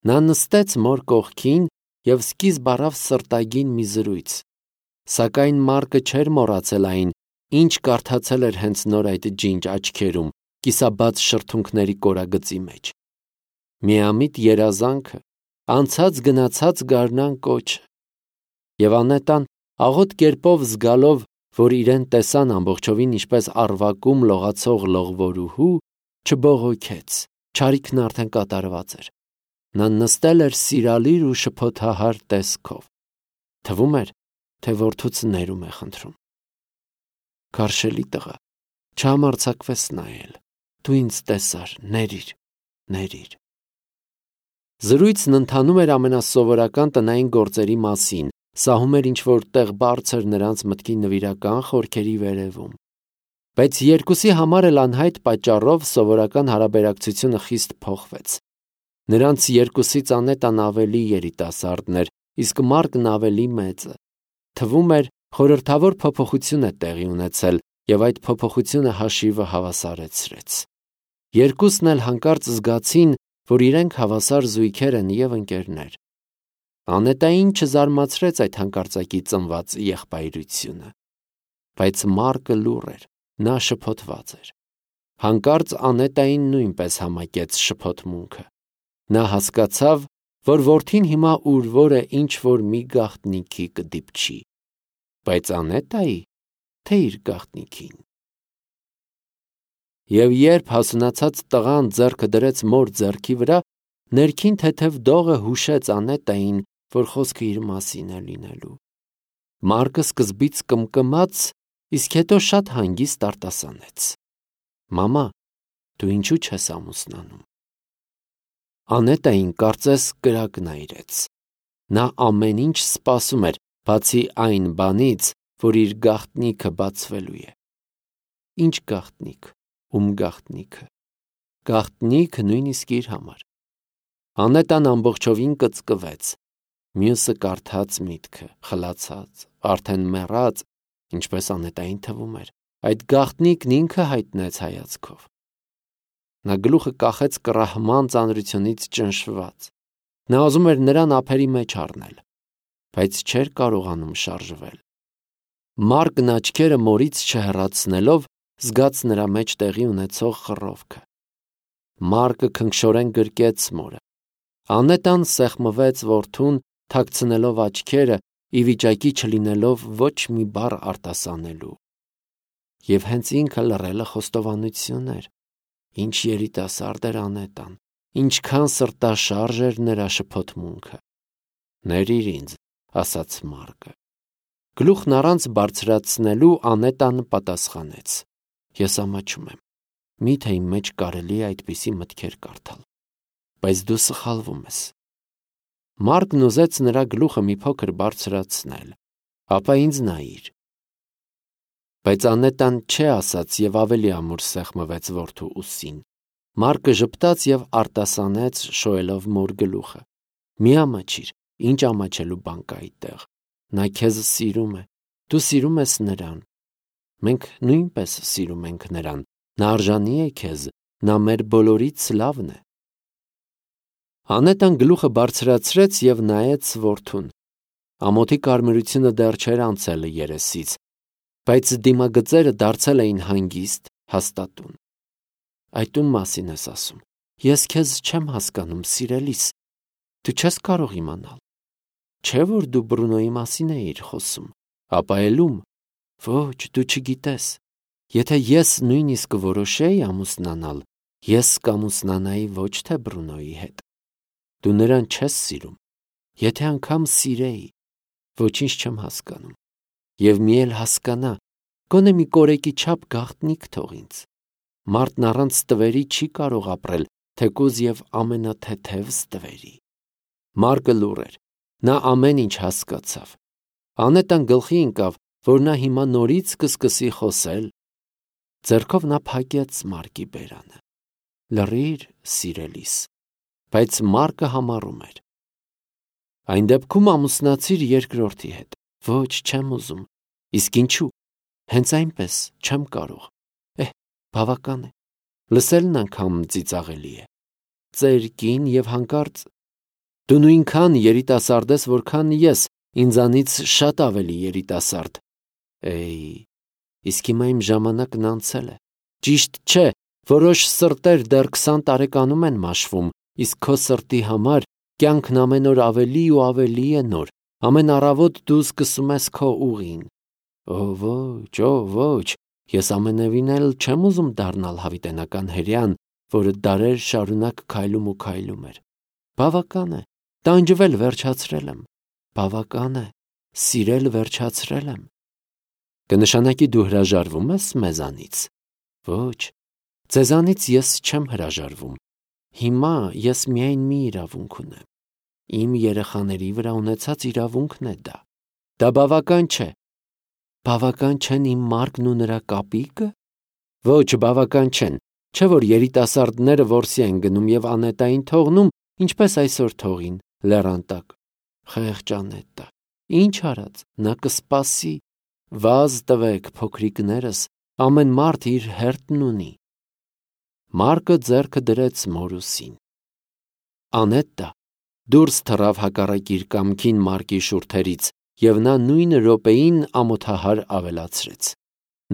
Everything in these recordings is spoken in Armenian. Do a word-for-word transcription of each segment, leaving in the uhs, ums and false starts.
Նա նստեց մոր կողքին և սկիզբ առավ սրտագին մի զրույց, սակայն Մարկը չէր մոռացել այն, ինչ կարդացել էր հենց նոր այդ ջինջ աչքերում, կիսաբաց շրթունքների կորագծի մեջ։ Միամիտ երազանքը, անցած գնացած գարնան կոչը։ Եվ Անետան աղոտ կերպով զգալով, որ իրեն տեսան ամբողջովին ինչպես առվակում լողացող լողվորուհու, չբողոքեց, չարիքն արդեն կատարված էր։ Նա նստել էր սիրալիր ու շփոթահար տեսքով։ Թվում էր, թե որդուց ներում է խնդրում։ Քարշելի տղա, չհամարձակվես նայել, դու ինձ տեսար, ներիր, ներիր։ Զրույցն ընթանում էր ամենասովորական տնային գործերի մասին, սահում էր ինչ-որ տեղ բարձր նրանց մտքի նվիրական խորքերի վերևում։ Բայց երկուսի համար էլ անհայտ պատճառով սովորական հարաբերակցությունը խիստ փոխվեց։ Նրանց երկուսից Անետան ավելի երիտասարդն էր, իսկ Մարկն ավելի մեծը։ Թվում էր, խորհրդավոր փոփոխություն է տեղի ունեցել, և այդ փոփոխությունը հաշիվը հավասարեցրեց։ Երկուսն էլ հանկարծ զգացին, որ իրենք հավասար զույգեր են և ընկերներ։ Անետային չզարմացրեց այդ հանկարծակի ծնված եղբայրությունը։ Բայց Մարկը լուռ էր, նա շփոթված էր։ Հանկարծ Անետային նույնպես համակեց շփոթմունքը։ Նա հասկացավ, որ որդին հիմա ուրվոր է ինչ-որ մի գաղտնիքի կդիպչի։ Բայց Անետայի, թե իր գաղտնիքին։ Եվ երբ հասունացած տղան ձեռքը դրեց մոր ձեռքի վրա, ներքին թեթև դողը հուշեց Անետային, որ խոսքը իր մասին է լինելու։ Մարկը սկզբից կմկմաց, իսկ հետո շատ հանգիստ արտասանեց. «Մամա, դու ինչու չես ամուսնանում»։ Անետային կարծես կրակ նայրեց։ Նա ամեն ինչ սպասում էր, բացի այն բանից, որ իր գաղտնիքը բացվելու է։ Ինչ գաղտնիք, ում գաղտնիքը։ Գաղտնիք նույնիսկ իր համար։ Անետան ամբողջովին կծկվեց։ Մյուսը կարդաց միտքը, խլացած, արդեն մեռած, ինչպես Անետային թվում էր, այդ գաղտնիքն ինքը հայտնեց հայացքով։ Նա գլուխը կախեց կռահման ծանրությունից ճնշված։ Նա ուզում էր նրան ափերի մեջ առնել, բայց չէր կարողանում շարժվել։ Մարկն աչքերը մորից չհեռացնելով զգաց նրա մեջ տեղի ունեցող խռովքը։ Մարկը քնքշորեն գրկեց մորը։ Անետան սեղմվեց որդուն, թաքցնելով աչքերը, ի վիճակի չլինելով ոչ մի բառ արտասանելու։ Եվ հենց ինքը լռելը խոստովանություն էր։ Ինչ երիտասարդ էր Անետան, ինչքան սրտաշարժ էր նրա շփոթմունքը։ «Ներիր ինձ», ասաց Մարկը։ Գլուխն առանց բարձրացնելու Անետան պատասխանեց. «Ես ամաչում եմ, մի՞թե իմ մեջ կարելի է այդպիսի մտքեր կարդալ, բայց դու սխալվում ես»։ Մարկն ուզեց նրա գլուխը մի փոքր բարձրացնել, ապա ինձ նայիր։ Բայց Անետան չէ ասաց և ավելի ամուր սեղմվեց որդու ուսին։ Մարկը ժպտաց և արտասանեց շոյելով մոր գլուխը. «Մի ամաչիր, ինչ ամաչելու բան կա այդտեղ։ Նա քեզ սիրում է, դու սիրում ես նրան։ Մենք նույնպես սիրում ենք նրան, նա արժանի է քեզ, նա մեր բոլորից լավն է»։ Անետան գլուխը բարձրացրեց և նայեց որդուն։ Ամոթի կարմիրությունը դեռ չէր անցել երեսից, բայց դիմագծերը դարձել էին հանգիստ, հաստատուն։ «Այդ ում մասին ես ասում։ Ես քեզ չեմ հասկանում, սիրելիս։ Դու չես կարող իմանալ։ Չէ՞ որ դու Բրունոյի մասին էիր խոսում, ապա էլ ում։ Ոչ, դու չգիտես։ Եթե ես նույնիսկ որոշեի ամուսնանալ, ես կամուսնանայի ոչ թե Բրունոյի հետ։ Դու նրան չես սիրում։ Եթե անգամ սիրեի, ոչինչ չեմ հասկանում։ Եվ մի էլ հասկանա, գոնե մի կորեկի չափ գաղտնիք թող ինձ։ Մարդն առանց ստվերի չի կարող ապրել, թեկուզ և ամենաթեթև ստվերի»։ Մարկը լուռ էր։ Նա ամեն ինչ հասկացավ։ Անետան գլխի ընկավ, որ նա հիմա նորից կսկսի խոսել։ Ձեռքով նա փակեց Մարկի բերանը։ «Լռիր, սիրելիս»։ Բայց Մարկը համառում էր. «Այն դեպքում ամուսնացիր երկրորդի հետ»։ «Ոչ, չեմ ուզում»։ «Իսկ ինչու»։ «Հենց այնպես, չեմ կարող»։ «Էհ, բավական է։ Լսելն անգամ ծիծաղելի է։ Ծեր կին և հանկարծ»։ Դու նույնքան երիտասարդ ես, որքան ես, ինձանից շատ ավելի երիտասարդ։ Էй, իսկ հիմա իմ ժամանակն անցել է։ Ճիշտ չէ, որոշ սրտեր դեռ քսան տարեկանում են մաշվում, իսկ քո սրտի համար կյանքն ամեն օր ավելի ու ավելի է նոր։ Ամեն առավոտ դու սկսում ես քո ուղին։ Օ ոչ, օ ոչ, ես ամենևին էլ չեմ ուզում դառնալ հավիտենական հրեան, որը դարեր շարունակ քայլում ու քայլում էր։ Բավական է, տանջվել վերջացրել եմ։ Բավական է, սիրել վերջացրել եմ։ Կնշանակի դու հրաժարվում ես մեզանից։ Ոչ, ձեզանից ես չեմ հրաժարվում։ Հիմա ես միայն մի իրավունք ունեմ։ Իմ երեխաների վրա ունեցած իրավունքն է դա։ Դա բավական չէ։ Բավական չեն իմ Մարկն ու նրա կապիկը։ Ոչ, բավական չեն, չէ որ երիտասարդները որսի են գնում եւ Անետային թողնում, ինչպես այսօր թողին, լեռան տակ։ Խեղճ Անետա, ինչ արած, նա կսպասի։ Վազ տվեք, փոքրիկներս, ամեն մարդ իր հերթն ունի։ Մարկը ձեռքը դրեց մորուսին։ Անետա դուրս թռավ հակառակ իր կամքին Մարկի շուրթերից, եւ նա նույն րոպեին ամոթահար ավելացրեց.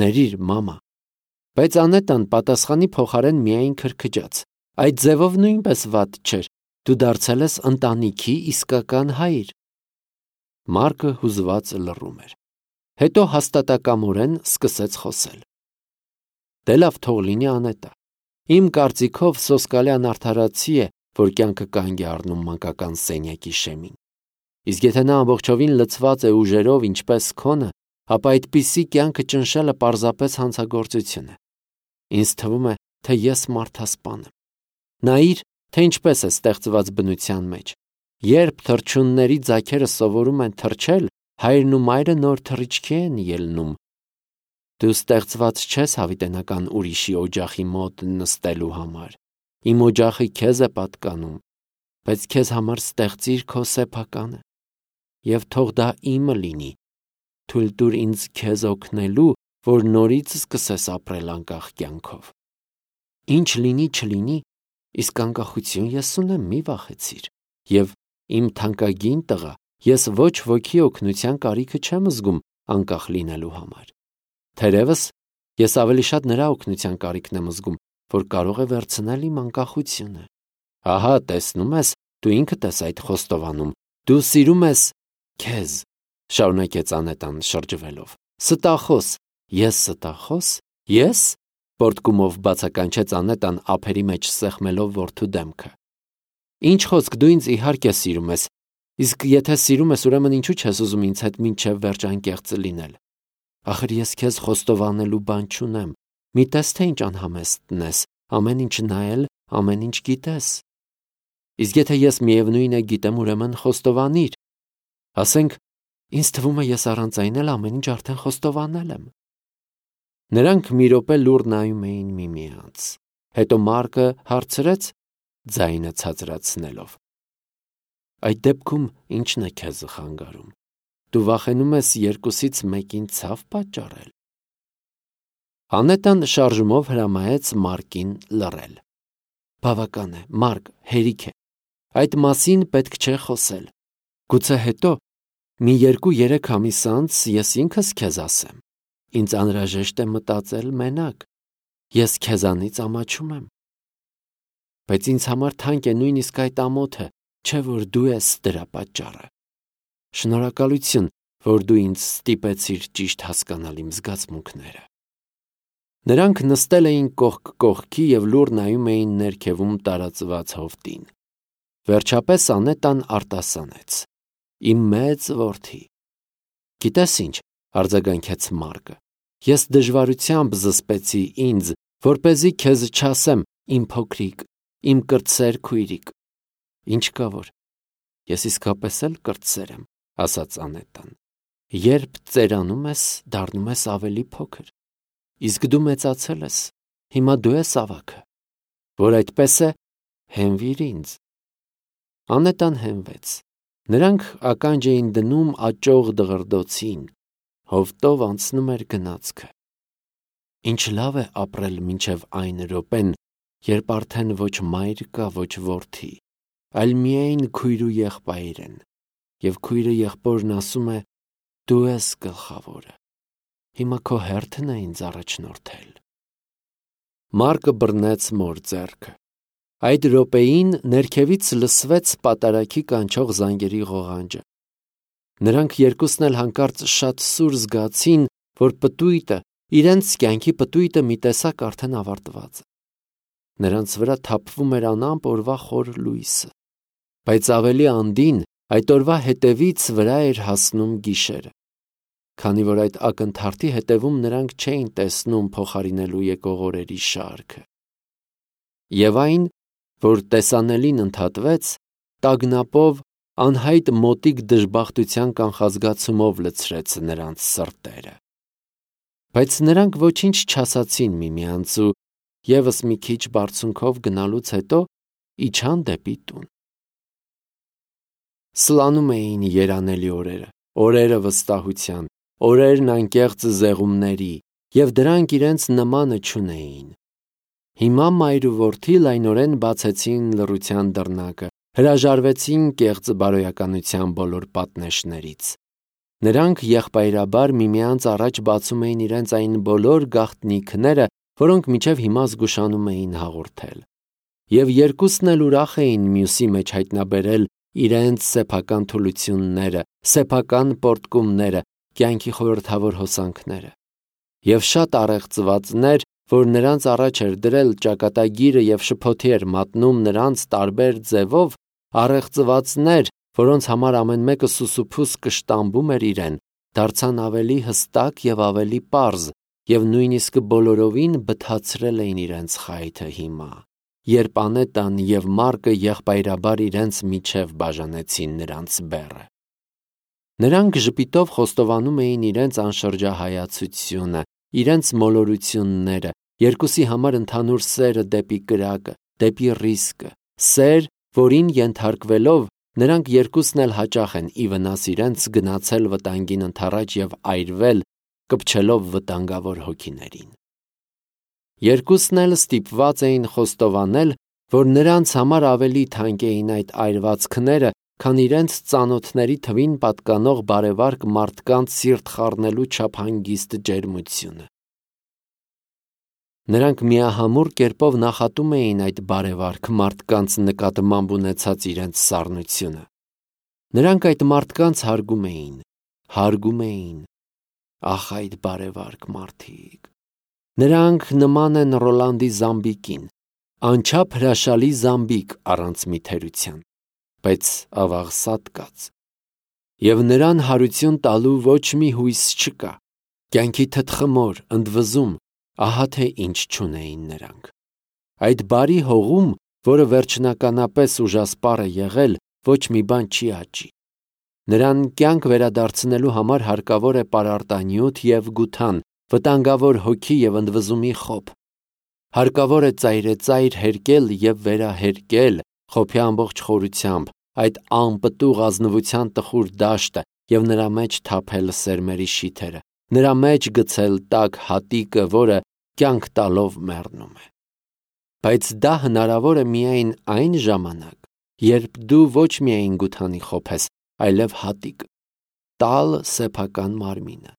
Ներիր, մամա։ Բայց Անետան պատասխանի փոխարեն միայն քրքջաց. Այդ ձևով նույնպես վատ չէր, դու դարձել ես ընտանիքի իսկական հայր։ Մարկը հուզված լռում էր։ Հետո հաստատակամորեն սկսեց խոսել. Դե լավ, թող լինի Անետա։ Իմ կարծիքով Սոսկալյան արդարացի է, որ կյանքը կանգ է առնում մանկական սենյակի շեմին։ Իսկ եթե նա ամբողջովին լցված է ուժերով, ինչպես քոնը, ապա այդպիսի կյանքը ճնշելը պարզապես հանցագործություն է։ Ինձ թվում է, թե ես մարդասպան եմ։ Նայիր, թե ինչպես է ստեղծված բնության մեջ։ Երբ թռչունների ձագերը սովորում են թռչել, հայրն ու մայրը նոր թռիչքի են ելնում։ Դու ստեղծված չես հավիտենական ուրիշի օջախի մոտ նստելու համար։ Իմ օջախը քեզ է պատկանում, բայց քեզ համար ստեղծիր քո սեփականը։ Եվ թող դա իմը լինի։ Թույլ տուր ինձ քեզ օգնելու, որ նորից սկսես ապրել անկախ կյանքով։ Ինչ լինի, չլինի, իսկ անկախություն ես ունեմ, մի վախեցիր։ Եվ իմ թանկագին տղա, ես ոչ ոքի օգնության կարիքը չեմ զգում անկախ լինելու համար։ Թերևս ես ավելի շատ նրա օգնության կարիքն եմ զգում, որ կարող է վերցնել իմ անկախությունը։ Ահա, տեսնում ես, դու ինքդ ես այդ խոստովանում։ Դու սիրում ես քեզ, շարունակեց Անետան շրջվելով։ Ստախոս, ես ստախոս, ես, պորտկումով բացականչեց Անետան ափերի մեջ սեղմելով որդու դեմքը։ Ինչ խոսք, դու ինձ իհարկե սիրում ես, իսկ եթե սիրում ես, ուրեմն ինչու չես ուզում ինձ հետ մինչև վերջ անկեղծ լինել։ Ախր ես քեզ խոստովանելու բան չունեմ։ Մի տես թե ինչ անհամեստն ես, ամեն ինչ նայել, ամեն ինչ գիտես։ Իսկ եթե ես միևնույն է գիտեմ, ուրեմն խոստովանիր։ Ասենք, ինձ թվում է ես առանց այն էլ ամեն ինչ արդեն խոստովանել եմ։ Նրանք մի րոպե լուռ նայում էին միմյանց։ Հետո Մարկը հարցրեց, ձայնը ցածրացնելով. Այդ դեպքում ի՞նչն է քեզ խանգարում։ Դու վախենում ես երկուսից մեկին ցավ պատճառել։ Անետան շարժումով հրամայեց Մարկին լռել։ Բավական է, Մարկ, հերիք է։ Այդ մասին պետք չէ խոսել։ Գուցե հետո մի երկու-երեք ամիս անց ես ինքս քեզ ասեմ։ Ինձ անհրաժեշտ է մտածել մենակ։ Ես քեզանից ամաչում եմ։ Բայց ինձ համար թանկ է նույնիսկ այդ ամոթը, չէ որ դու ես դրա պատճառը։ Շնորհակալություն, որ դու ինձ ստիպեցիր ճիշտ հասկանալ իմ զգացմունքները։ Նրանք նստել էին կողք կողքի և լուռ նայում էին ներքևում տարածված հովտին։ Վերջապես Անետան արտասանեց. Իմ մեծ որդի։ Գիտես ինչ, արձագանքեց Մարկը, ես դժվարությամբ զսպեցի ինձ, որպեսզի քեզ չասեմ, իմ փոքրիկ, իմ կրտսեր քույրիկ։ Ինչ կա որ, ես իսկապես էլ կրտսեր եմ, ասաց Անետան։ Երբ ծերանում ես, դառնում ես ավելի փոքր։ Իսկ դու մեծացել ես, հիմա դու ես ավագը։ Որ այդպես է, հենվիր ինձ։ Անետան հենվեց։ Նրանք ականջ էին դնում աճող դղրդոցին, հովտով անցնում էր գնացքը։ Ինչ լավ է ապրել մինչև այն րոպեն, երբ արդեն ոչ մայր կա, ոչ որդի, այլ միայն քույրու եղբայր են, և քույրը եղբորն ասում է. «Դու ես գլխավորը, հիմա քո հերթն է ինձ առաջնորդել»։ Մարկը բռնեց մոր ձեռքը։ Այդ րոպեին ներքևից լսվեց պատարագի կանչող զանգերի ղողանջը։ Նրանք երկուսն էլ հանկարծ շատ սուր զգացին, որ պտույտը, իրենց կյանքի պտույտը մի տեսակ արդեն ավարտված է։ Նրանց վրա թափվում էր անամպ օրվա խոր լույսը, բայց ավելի անդին այդ օրվա հետևից վրա էր հասնում գիշերը, քանի որ այդ ակնթարթի հետևում նրանք չէին տեսնում փոխարինելու եկող օրերի շարքը։ Եվ այն, որ տեսանելին ընդհատվեց, տագնապով, անհայտ մոտիկ դժբախտության կանխազգացումով լցրեց նրանց սրտերը։ Բայց նրանք ոչինչ չասացին միմյանց ու ևս մի քիչ բարձունքով գնալուց հետո իջան դեպի տուն։ Սլանում էին երանելի օրերը, օրերը վստահության, օրերն անկեղծ զեղումների, և դրանք իրենց նմանը չունեին։ Հիմա մայր ու որդի լայնորեն բացեցին լռության դռնակը, հրաժարվեցին կեղծ բարոյականության բոլոր պատնեշներից։ Նրանք եղբայրաբար միմյանց առաջ բացում էին իրենց այն բոլոր գաղտնիքները, որոնք մինչև հիմա զգուշանում էին հաղորդել։ Եվ երկուսն էլ ուրախ էին մյուսի մեջ հայտնաբերել իրենց սեփական թուլությունները, սեփական պոռթկումները, կյանքի խորհրդավոր հոսանքները։ Եվ շատ առեղծվածներ, որ նրանց առաջ էր դրել ճակատագիրը և շփոթի էր մատնում նրանց տարբեր ձևով, առեղծվածներ, որոնց համար ամեն մեկը սուսուփուս կշտամբում էր իրեն, դարձան ավելի հստակ և ավելի պարզ, և նույնիսկ բոլորովին բթացրել էին իրենց խայթը հիմա, երբ Անետան և Մարկը եղբայրաբար իրենց միջև բաժանեցին նրանց բեռը։ Նրանք ժպիտով խոստովանում էին իրենց անշրջահայացությունը, իրենց մոլորությունները, երկուսի համար ընդհանուր սերը դեպի կրակը, դեպի ռիսկը, սեր, որին ենթարկվելով նրանք երկուսն էլ հաճախ են ի վնաս իրենց գնացել վտանգին ընդառաջ և այրվել, կպչելով վտանգավոր հոգիներին։ Երկուսն էլ ստիպված էին խոստովանել, որ նրանց համար ավելի թանկ էին այդ այրվածքները, քան իրենց ծանոթների թվին պատկանող բարևարք մարդկանց սիրտ խառնելու չափ հանգիստ ջերմությունը։ Նրանք միահամուռ կերպով նախատում էին այդ բարևարք մարդկանց նկատմամբ ունեցած իրենց սառնությունը։ Նրանք այդ մարդկանց հարգում էին, հարգում էին, ախ այդ բարևարք մարդիկ։ Նրանք նման են Ռոլանդի զամբիկին, անչափ հրաշալի զամբիկ առանց մի թերության, բայց ավաղ սատկած։ Եվ նրան հարություն տալու ոչ մի հույս չկա, կյանքի թտխմոր, ընդվզում, ահա թե ինչ չունեին նրանք։ Այդ բարի հողում, որը վերջնականապես ուժասպառ է եղել, ոչ մի բան չի աճի։ Նրան կյանք վերադարձնելու համար հարկավոր է պարարտանյութ և գութան, վտանգավոր հոգի և ընդվզումի խոփ։ Հարկավոր է ծայրեծայր հերկել և վերահերկել խոփի ամբողջ խորությամբ այդ անպտուղ ազնվության տխուր դաշտը և նրա մեջ թափել սերմերի շիթերը, նրա մեջ գցել տաք հատիկը, որը կյանք տալով մեռնում է։ Բայց դա հնարավոր է միայն այն ժամանակ, երբ դու ոչ միայն գութանի խոփ ես, այլև հատիկ, տալ սեփական մարմինը,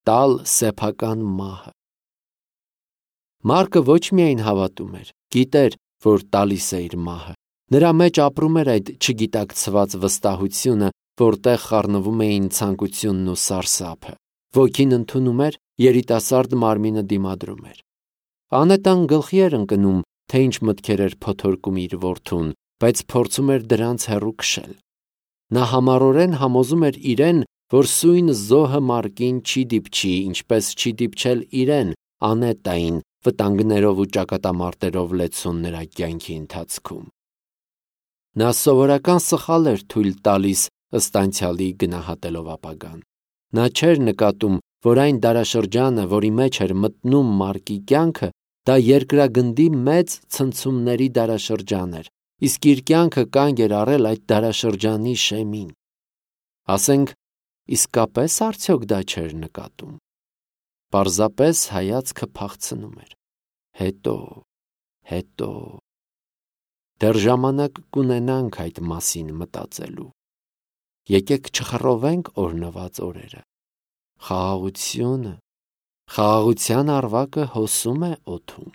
տալ սեփական մահը։ Մարկը ոչ միայն հավատում էր, գիտեր, որ տալիս է իր մահը, նրա մեջ ապրում էր այդ չգիտակցված վստահությունը, որտեղ խառնվում էին ցանկությունն ու սարսափը։ Ոգին ընդունում էր, երիտասարդ մարմինը դիմադրում էր։ Անետան գլխի էր ընկնում, թե ինչ մտքեր էր փոթորկում իր որդուն, բայց փորձում էր դրանց հեռու քշել։ Նա համառորեն համոզում էր իրեն, որ սույն զոհը Մարկին չի դիպչի, ինչպես չի դիպչել իրեն, Անետային, վտանգներով ու ճակատամարտերով լեցուն նրա կյանքի ընթացքում։ Նա սովորական սխալ էր թույլ տալիս ըստ անցյալի գնահատելով ապագան։ Նա չէր նկատում, որ այն դարաշրջանը, որի մեջ էր մտնում Մարկի կյանքը, դա երկրագնդի մեծ ցնցումների դարաշրջան էր, իսկ իր կյանքը կանգ էր առել այդ դարաշրջանի շեմին։ Ասենք, իսկապես արդյոք դա չէր նկատում։ Պարզապես հայացքը փախցնում էր։ Հետո, հետո… Դեռ ժամանակ կունենանք այդ մասին մտածելու։ Եկեք չխռովենք օրհնված օրերը։ Խաղաղությունը, խաղաղության արվակը հոսում է օդում։